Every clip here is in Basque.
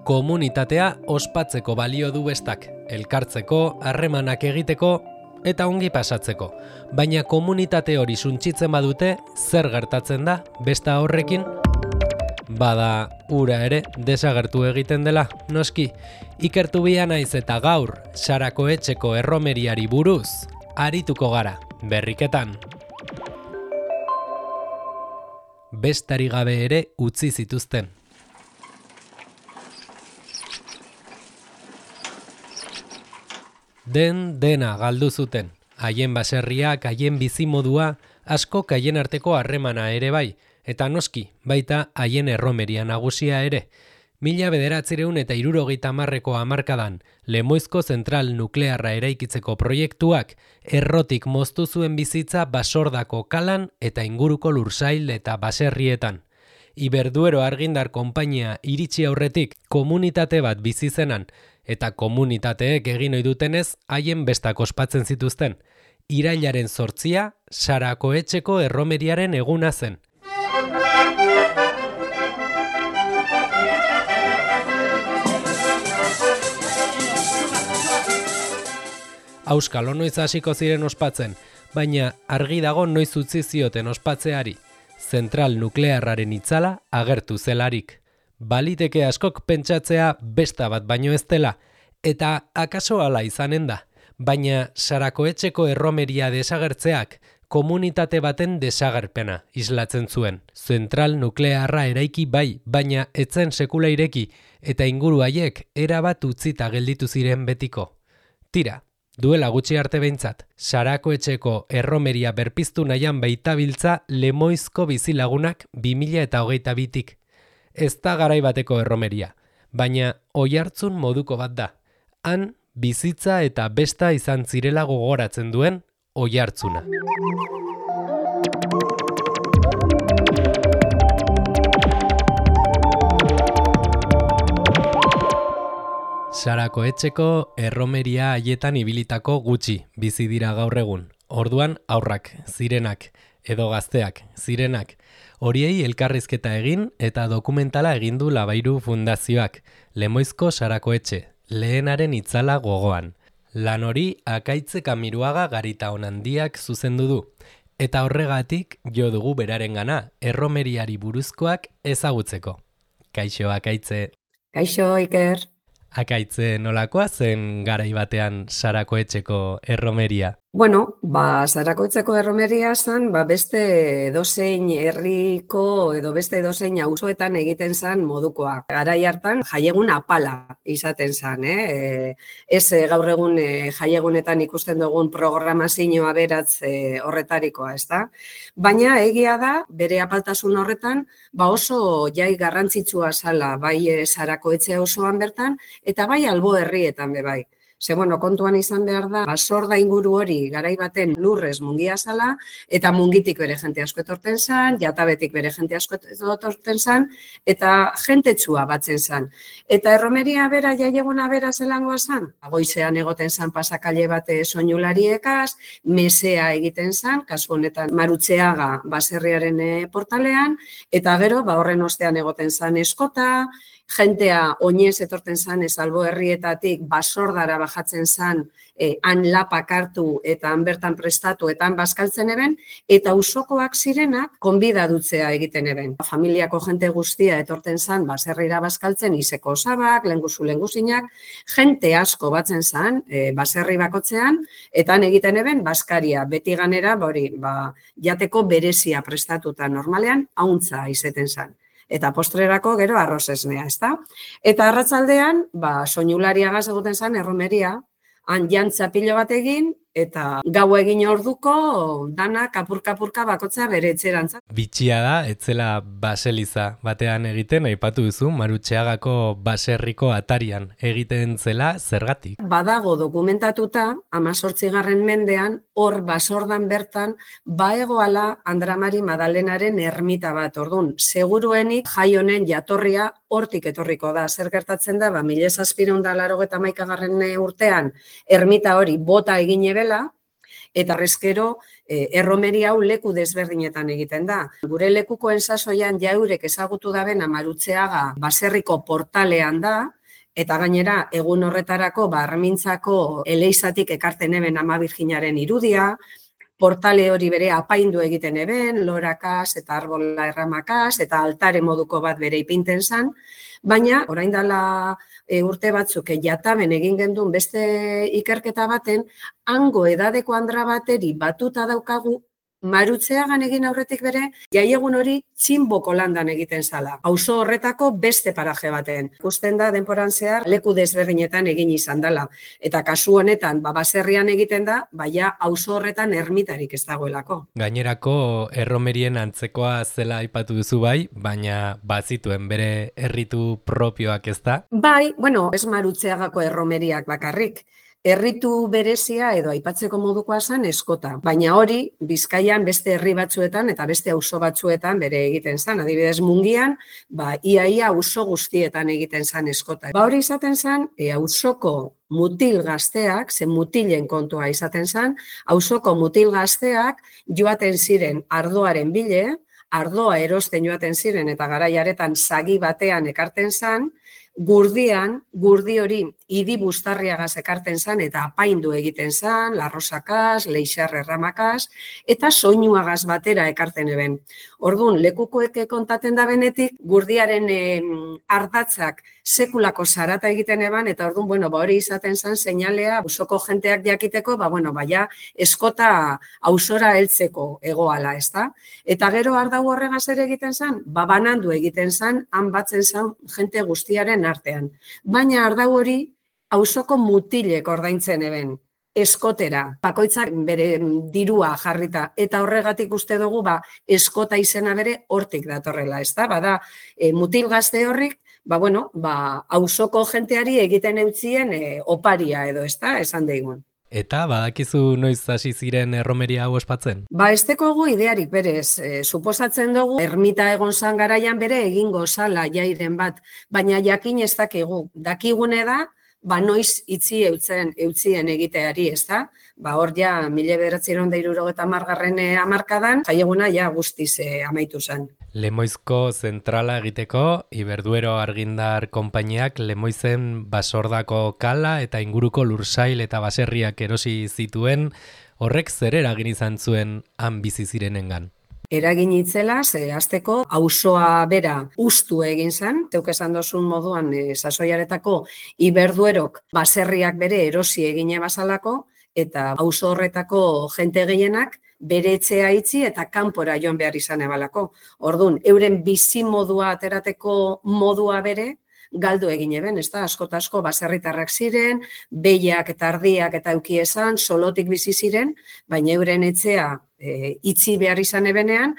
Komunitatea ospatzeko balio du bestak, elkartzeko, harremanak egiteko eta ongi pasatzeko. Baina komunitate hori suntsitzen badute, zer gertatzen da besta horrekin? Bada, ura ere desagertu egiten dela, noski. Ikertu bia naiz eta gaur, Sarako Etxeko erromeriari buruz, arituko gara, berriketan. Bestari gabe ere utzi zituzten. Dena galdu zuten. Haien baserriak, haien bizimodua, askok haien arteko harremana ere bai, eta noski, baita haien erromeria nagusia ere. 1970ko hamarkadan, Lemoizko zentral nuklearra eraikitzeko proiektuak errotik moztu zuen bizitza Basordako kalan eta inguruko lursail eta baserrietan. Iberduero argindar konpainia iritsi aurretik komunitate bat bizi zenan, eta komunitateek egin ohi dutenez haien bestak ospatzen zituzten. Irailaren 8 Sarako Etxeko erromeriaren eguna zen. Auskalo noiz hasiko ziren ospatzen, baina argi dago noiz utzi zioten ospatzeari. Zentral nuklearraren itzala agertu zelarik. Baliteke askok pentsatzea besta bat baino ez dela, eta akaso hala izanen da. Baina Sarako Etxeko erromeria desagertzeak komunitate baten desagerpena islatzen zuen. Zentral nuklearra eraiki bai, baina etzen sekula ireki, eta inguru haiek erabat utzita gelditu ziren betiko. Tira, duela gutxi arte behintzat, Sarako Etxeko erromeria berpiztu nahian baitabiltza Lemoizko bizilagunak 2022tik. Ez da garai bateko erromeria, baina oihartzun moduko bat da. Han, bizitza eta besta izan zirela gogoratzen duen oihartzuna. Sarako Etxeko erromeria haietan ibilitako gutxi bizi dira gaur egun. Orduan aurrak, zirenak, edo gazteak, zirenak. Horiei elkarrizketa egin eta dokumentala egin du Labairu Fundazioak, Lemoizko Sarako Etxe, lehenaren itzala gogoan. Lan hori Akaitze Kamiruaga Garita Onandiak zuzendu du, eta horregatik jo dugu berarengana erromeriari buruzkoak ezagutzeko. Kaixo, Akaitze. Kaixo, Iker. Akaitze, nolakoa zen garai batean Sarako Etxeko erromeria? Bueno, Sarako Etxeko erromeria zen, beste edozein herriko edo beste edozein auzoetan egiten zen modukoa. Garai hartan jaiegun apala izaten zen, Ez gaur egun jaiegunetan ikusten dugun programazioa beratz horretarikoa, ezta? Baina egia da, bere apaltasun horretan, oso jai garrantzitsua zala, bai Sarako Etxe osoan bertan, eta bai albo herrietan be bai. Kontuan izan behar da, Basorda inguru hori garai baten lurrez mungia zala, eta mungitik bere jente asko etorten zan, Jatabetik bere jente asko etorten zan, eta jentetsua batzen zan. Eta erromeria bera, jaieguna bera zelangoa zan? Goizean egoten zan pasakaile bate soinulariekaz, mesea egiten zan, kasu honetan Marutzeaga baserriaren portalean, eta gero, horren ostean egoten zan eskota, jentea oinez etorten zan albo herrietatik Basordara bajatzen zan, han lapak hartu eta han bertan prestatu eta han bazkaltzen eben, eta auzokoak zirenak konbidadutzea egiten eben. Familiako jente guztia etorten zan baserrira bazkaltzen, izeko osabak, lenguzinak, jente asko batzen zan baserri bakotzean, eta han egiten eben bazkaria, beti ganera, jateko berezia prestatuta normalean, hauntza izeten zan. Eta postrerako gero arroz esnea, ezta? Eta arratzaldean, soinulariagaz egiten zen erromeria, han jantza pilo bat egin, eta gau egin orduko dana kapurka bakotzea bere etxerantza. Bitxia da, etzela baseliza batean egiten, aipatu duzu, Marutxeagako baserriko atarian egiten zela zergatik. Badago dokumentatuta, 18. mendean, hor Basordan bertan, baegoala Andramari Madalenaren ermita bat. Orduan, seguruenik jai honen jatorria hortik etorriko da. Zer gertatzen da, 1791 urtean, ermita hori bota egin ebela, eta reskero erromeria hau leku desberdinetan egiten da. Gure lekukoen sasoian jaurek ezagutu dabena Marutzeaga baserriko portalean da, Eta gainera, egun horretarako, armintzako eleizatik ekarten eben Ama Birjinaren irudia, portale hori bere apaindu egiten eben, lorakaz eta arbola erramakaz, eta altare moduko bat bere ipinten zan, baina orain dela urte batzuk jataben egin gendun beste ikerketa baten, hango edadeko andra bateri batuta daukagu, Marutzeagan egin aurretik bere, jaiegun hori Txinboko landan egiten zala. Auzo horretako beste paraje baten. Ikusten da denporan zehar leku desberdinetan egin izan dela. Eta kasu honetan, baserrian egiten da, baina auzo horretan ermitarik ez dagoelako. Gainerako erromerien antzekoa zela aipatu duzu bai, baina bazituen bere erritu propioak ez da? Bai, bueno, ez Marutzeagako erromeriak bakarrik. Erritu berezia edo aipatzeko modukoa zen eskota, baina hori Bizkaian beste herri batzuetan eta beste auzo batzuetan bere egiten zen. Adibidez Mungian, iaia auzo guztietan egiten zen eskota. Hori izaten zen, auzoko mutil gazteak, zen mutilen kontua izaten zen, auzoko mutil gazteak joaten ziren ardoaren bile, ardoa erosten joaten ziren eta garaiaretan sagi batean ekarten zen, gurdi hori idi bustarriagaz ekarten zan eta apaindu egiten zan, larrosakaz, leixar erramakaz, eta soinuagaz batera ekarten eben. Orduan, lekukoek kontaten da benetik, gurdiaren ardatzak sekulako zarata egiten eban, eta orduan, bueno, hori izaten zan seinalea, auzoko jenteak jakiteko, baina eskota auzora heltzeko egoala, ez da? Eta gero ardau horregaz ere egiten zan, banandu egiten zan, han batzen zan jente guztiaren artean. Baina ardau hori auzoko mutilek ordaintzen eben, eskotera, bakoitzak bere dirua jarrita, eta horregatik uste dugu eskota izena bere hortik datorrela, ez da? Bada, mutil gazte horrik, auzoko jenteari egiten eutzien oparia edo, ez da? Esan daigun. Eta badakizu noiz hasi ziren erromeria hau ospatzen? Ez dekogu idearik berez, suposatzen dugu, ermita egon zan garaian bere egingo zala jairen bat, baina jakin ez dakigu. Dakigune da, noiz itzi eutzien egiteari, ez da? Hor ja, 1970 hamarkadan, jaieguna ja guztiz amaitu zen. Lemoizko zentrala egiteko, Iberduero Argindar konpainiak Lemoizen basordako kala eta inguruko lursail eta baserriak erosi zituen, horrek zer eragin izan zuen han bizi zirenengan? Eragin itzela, hasteko auzoa bera ustu egin zen, zeuk esan dozun moduan sasoiaretako Iberduerok baserriak bere erosi egine bazalako, eta auzo horretako jente gehienak bere etxea itzi eta kanpora joan behar izan ebalako. Orduan, euren bizi modua aterateko modua bere, galdu egin eben, ez da, asko baserritarrak ziren, behiak eta ardiak eta eukiesan, solotik bizi ziren, baina euren etxea itzi behar izan ebenean,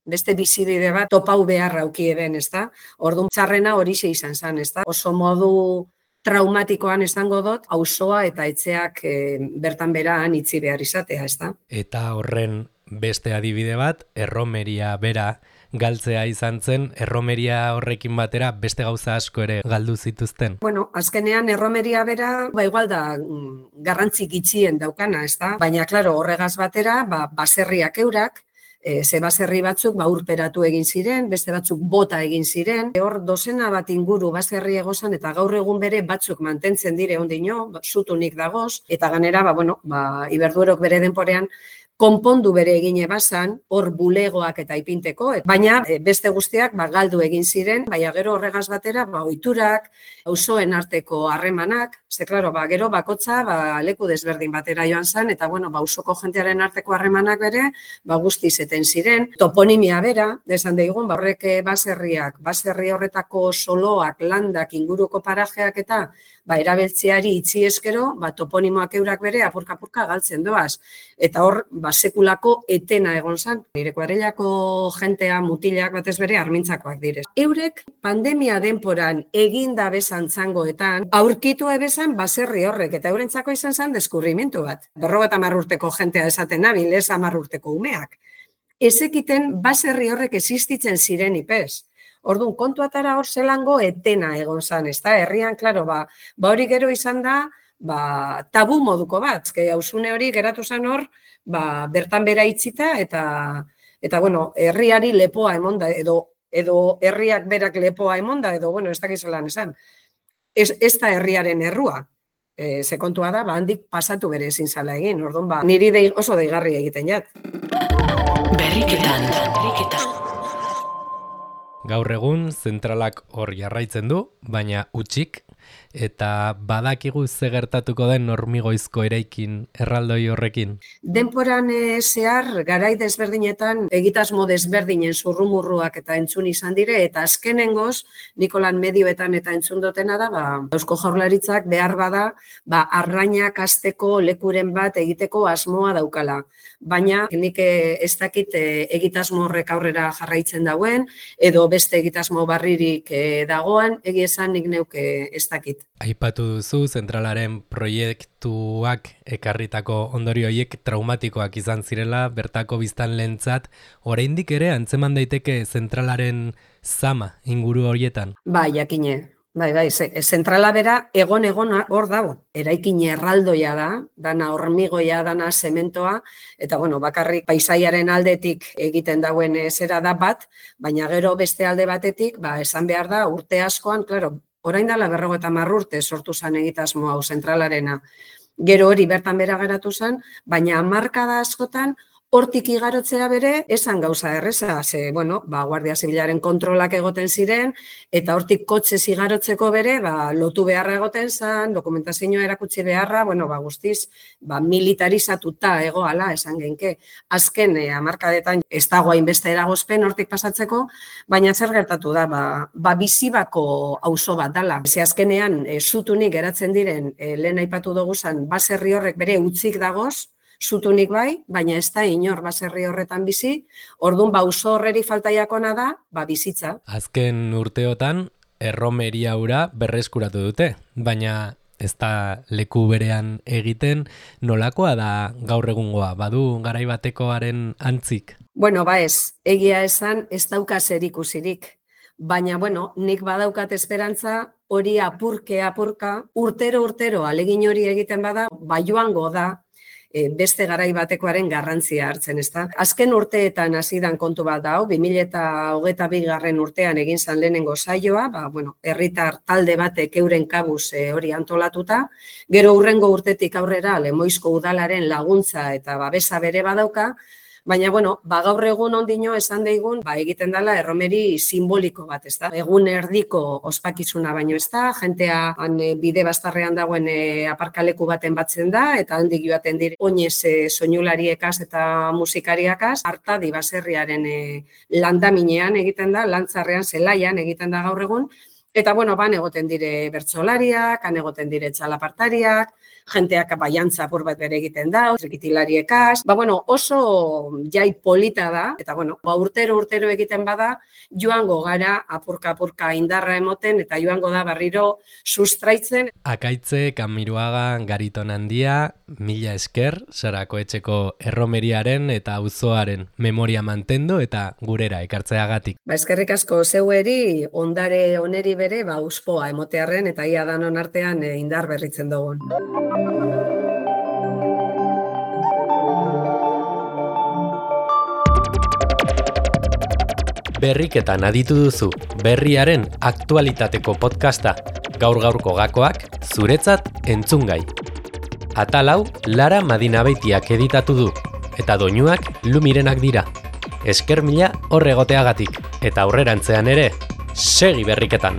beste bizibide bat topau beharra auki eben, ez da. Orduan, txarrena horixe izan zen, ez da. Oso modu traumatikoan esango dut, auzoa eta etxeak bertan beraan itzi behar izatea, ez da. Eta horren beste adibide bat, erromeria bera galtzea izan zen, erromeria horrekin batera beste gauza asko ere galdu zituzten? Azkenean erromeria bera, igual da garrantzik itxien daukana, ez da? Baina, klaro, horregaz batera, baserriak eurak, ze baserri batzuk urperatu egin ziren, beste batzuk bota egin ziren. Hor dozena bat inguru baserri egozan eta gaur egun bere batzuk mantentzen dire ondino, zutunik dagoz, eta ganera, Iberduerok bere denporean konpondu bere egine bazan, hor bulegoak eta ipinteko, baina beste guztiak galdu egin ziren, baina gero horregaz batera, ohiturak, auzoen arteko harremanak, ze klaro, gero bakotza leku desberdin batera joan zen, eta auzoko jentearen arteko harremanak bere, guztiz eten ziren, toponimia bera, esan daigun, horrek baserri horretako soloak, landak, inguruko parajeak eta erabiltzeari itzi eskero, toponimoak eurak bere apurka-apurka galtzen doaz. Eta hor, sekulako etena egon zen. Nire kuadrillako jentea mutilak batez bere armintzakoak direz. Eurek pandemia denporan eginda bezan zangoetan, aurkitu ebezan baserri horrek, eta eurentzako izan zen deskurrimentu bat. 50 urteko jentea esaten nabil, ez 10 urteko umeak. Ezekiten baserri horrek existitzen ziren ipez. Orduan, kontuatara hor zelango etena egon zen, ez da? Herrian, klaro, hori gero izan da, tabu moduko bat, hausune hori geratu zen hor, bertan bera itzita, eta herriari lepoa emonda, edo herriak berak lepoa emonda, edo, ez dakiz zelan esan. ez da herriaren errua. Ze kontua da, handik pasatu bere ezin zala egin. Orduan, niri oso deigarri egiten jat. Berriketan. Gaur egun zentralak hor jarraitzen du, baina utzik, eta badakigu ze gertatuko den hormigoizko eraikin erraldoi horrekin. Denporan zehar, garai desberdinetan, egitasmo desberdinen zurrumurruak eta entzun izan dire, eta azkenengoz, Nikolan medioetan eta entzun dutena da, Eusko Jaurlaritzak behar bada, arrainak hasteko lekuren bat egiteko asmoa daukala. Baina nik ez dakit egitasmo horrek aurrera jarraitzen dauen, edo beste egitasmo barririk dagoan, egia esan nik neuk ez dakit. Aipatu duzu zentralaren proiektuak ekarritako ondorio horiek traumatikoak izan zirela, bertako biztanleentzat, oraindik ere antzeman daiteke zentralaren zama inguru horietan. Jakine. Bai, zentrala bera egon hor dago. Eraikin erraldoia da, dana hormigoia, dana zementoa, eta bakarrik paisaiaren aldetik egiten dauen zera da bat, baina gero beste alde batetik, esan behar da, urte askoan, orain dela 50 urte sortu zen egitasmo hau zentralarena. Gero hori bertan bera geratu zen, baina hamarkada askotan, hortik igarotzea bere, esan gauza erreza, Guardia Zibilaren kontrolak egoten ziren, eta hortik kotxez igarotzeko bere, lotu beharra egoten zen, dokumentazioa erakutsi beharra, guztiz, militarizatuta egoala, esan genke. Azken, hamarkadetan, ez dago hainbeste eragozpen hortik pasatzeko, baina zer gertatu da, bizibako auzo bat dala. Ze azkenean, zutunik geratzen diren, lehen aipatu dugu zen, baserri horrek bere utzik dagoz, zutunik bai, baina ez da inor baserri horretan bizi, orduan auzo horreri faltaiakona da, bizitza. Azken urteotan, erromeria hura berreskuratu dute, baina ez da leku berean egiten, nolakoa da gaur egungoa, badu garai batekoaren antzik? Ez, egia esan ez dauka zerikusirik, baina nik badaukat esperantza hori apurka, urtero alegin hori egiten bada, joango da, beste garai batekoaren garrantzia hartzen, ezta? Azken urteetan hasidan kontu bat da, 2022 urtean egin zan lehenengo saioa, herritar talde batek euren kabuz hori antolatuta, gero hurrengo urtetik aurrera Lemoizko udalaren laguntza eta babesa bere badauka, baina, gaur egun ondino esan daigun, egiten dela erromeri simboliko bat, ez da? Egun erdiko ospakizuna baino ez da, jentea bide bastarrean dagoen aparkaleku baten batzen da, eta handik joaten dire oinez soinulariekaz eta musikariakaz, Artadi baserriaren landaminean egiten da, lantzarrean zelaian egiten da gaur egun, eta, ban egoten dire bertsolariak, han egoten dire txalapartariak, jenteak baiantza apur bat bere egiten da, trikitilariekaz, oso jai polita da, eta urtero egiten bada, joango gara apurka indarra emoten, eta joango da berriro sustraitzen. Akaitze, Kamiruaga, Gariton Handia, mila esker, Sarako Etxeko erromeriaren eta auzoaren memoria mantendu eta gurera ekartzeagatik. Eskerrik asko zeueri, ondare oneri bere, uspoa emotearren, eta ia danon artean indar berritzen dugun. Berriketan aditu duzu, berriaren aktualitateko podcasta, gaur-gaurko gakoak, zuretzat entzungai. Atal hau, Lara Madinabeitiak editatu du, eta doinuak Lumirenak dira. Esker mila hor egoteagatik, eta aurrerantzean ere, segi berriketan!